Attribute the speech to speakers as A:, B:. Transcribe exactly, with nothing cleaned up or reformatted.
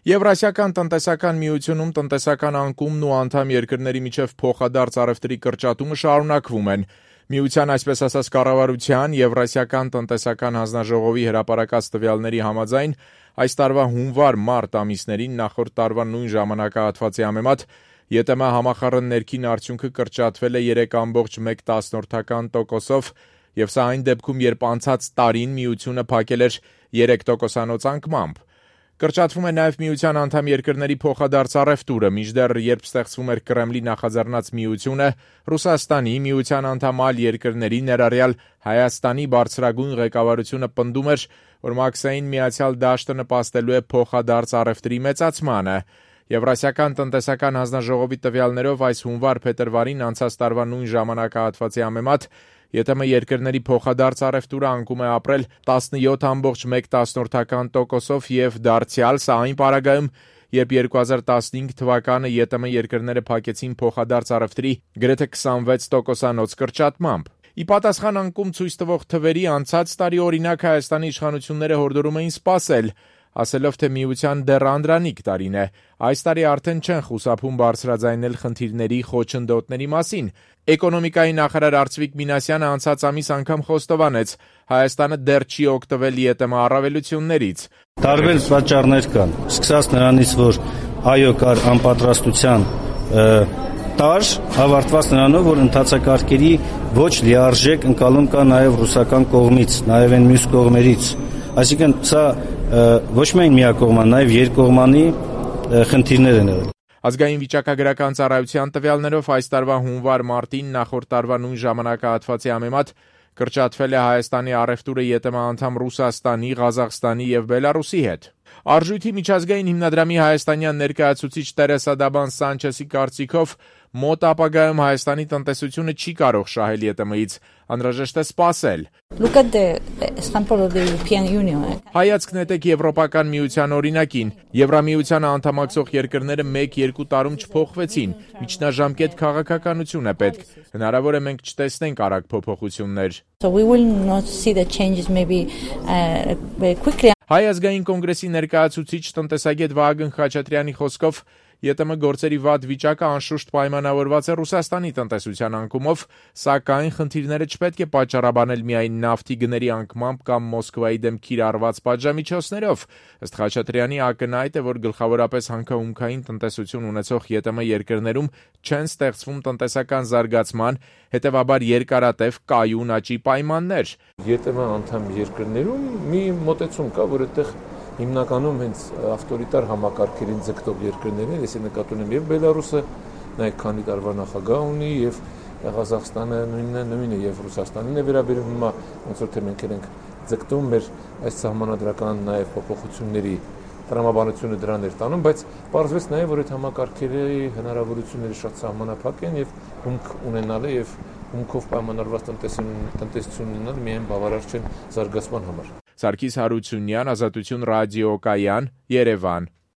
A: Եվրասիական տնտեսական միությունում տնտեսական անկումն ու անդամ երկրների միջև փոխադարձ առևտրի կրճատումը շարունակվում են։ Միության այսպես ասած կառավարության Եվրասիական տնտեսական հանձնաժողովի հրապարակած տվյալների համաձայն այս տարվա հունվար-մարտ ամիսներին նախորդ տարվա նույն ժամանակահատվածի համեմատ ԵՏՄ համախառն ներքին արդյունքը կրճատվել է երեք կόμma մեկ տոկոսով եւ սա այն դեպքում, երբ անցած տարին միությունը փակել էր երեք տոկոսանոց անկմամբ։ Կրճատվում է նաև միության անդամ երկրների փոխադարձ առևտուրը, մինչդեռ երբ ստեղծվում էր Կրեմլի նախաձեռնած միությունը, Ռուսաստանի, միության անդամ այլ երկրների, ներառյալ Հայաստանի բարձրագույն ղեկավարությունը պնդում էր, որ Մաքսային Միացյալ Դաշտը նպաստելու է փոխադարձ առևտրի մեծացմանը։ Եվրասիական տնտեսական հանձնաժողովի տվյալներով այս հունվար-փետրվարին անցած տարվա նույն ժամանակահատվածի համեմատ ԵՏՄ երկրների փոխադարձ առևտուրը անկում է ապրել տասնյոթ կόμma մեկ տոկոսով եւ դարձյալ սա այն պարագայում, երբ երկու հազար տասնհինգ թվականը ԵՏՄ երկրները փակեցին փոխադարձ առևտրի գրեթե քսանվեց տոկոսանոց կրճատմամբ։ Ի պատասխան անկում ցույց տվող թվերի անցած տարի օրինակ Հայաստանի իշխանությունները հորդորում էին սպասել, ասելով, թե միության դեռ անդրանիկ տարին է։ Այս տարի արդեն չեն խուսափում բարձրաձայնել խնդիրների խոչընդոտների մասին։ Էկոնոմիկայի նախարար Արծվիկ Մինասյանը անցած ամիս անգամ խոստովանեց. Հայաստանը դեռ չի օգտվել ԵՏՄ առավելություններից։
B: Տարբեր պատճառներ կան, սկսած նրանից, որ այո կար անպատրաստության տար, ավարտված նրանով, որ ընթացակարգերի ոչ լիարժեք ընկալում կա նաև ռուսական կողմից, նաև այն մյուս կողմերից։ Այսինքն սա ոչ միայն միակողման, նաև երկկողմանի խնդիրներ են եղել։
A: Ազգային վիճակագրական ծառայության տվյալներով այս տարվա հունվար-մարտին նախորդ տարվա նույն ժամանակահատվածի համեմատ կրճատվել է Հայաստանի առևտուրը ԵՏՄ անդամ Ռուսաստանի, Ղազախստանի եւ Բելարուսի հետ։ Արժույթի միջազգային հիմնադրամի հայաստանյան ներկայացուցիչ Տերեսա Դաբան Սանչեսի կարծիքով մոտ ապագայում Հայաստանի տնտեսությունը չի կարող շահել ԵՏՄ-ից, անհրաժեշտ է սպասել։ Հայացք նետեք Եվրոպական միության օրինակին։ Եվրամիությանը անդամակցող երկրները մեկ-երկու տարում չփոխվեցին, միջնաժամկետ քաղաքականություն է պետք։ Հնարավոր է մենք չտեսնենք արագ փոփոխություններ։ Հայ ազգային կոնգրեսի ներկայացուցիչ տնտեսագետ Վահագն Խաչատրյանի խոսքով ԵՏՄ գործերի վատ վիճակը անշուշտ պայմանավորված է Ռուսաստանի տնտեսության անկումով, սակայն խնդիրները չպետք է պատճառաբանել միայն նավթի գների անկմամբ կամ Մոսկվայի դեմ կիրառված պատժամիջոցներով։ Ըստ Խաչատրյանի ակնհայտ է, որ գլխավորապես հանքահումքային տնտեսություն ունեցող ԵՏՄ երկրներում չեն ստեղծվում տնտեսական զարգացման, հետևաբար երկարատև կայուն աճի պայմաններ։
C: ԵՏՄ անդամ երկրներում մի մոտեցում կա, որ այդտեղ հիմնականում հենց ավտորիտար համակարգերին ձգտող երկրներն են, ես նկատում եմ եւ Բելարուսը, նայեք քանի տարվա նախագահ ունի, եւ Ղազախստանը նույնն է, նույնը եւ Ռուսաստանին է վերաբերում հիմա ոնց որ թե մենք ենք ձգտում մեր այս սահմանադրական նաեւ փոփոխությունների տրամաբանությունը դրան էր տանում, բայց պարզվեց նաեւ, որ այդ համակարգերի հնարավորությունները շատ սահմանափակ են եւ հումք ունենալը եւ հումքով պայմանավորված տնտեսություն ունենալ միայն բավարար չեն զարգացման համար։
A: Սարգիս Հարությունյան, Ազատություն ռադիոկայան, Երևան։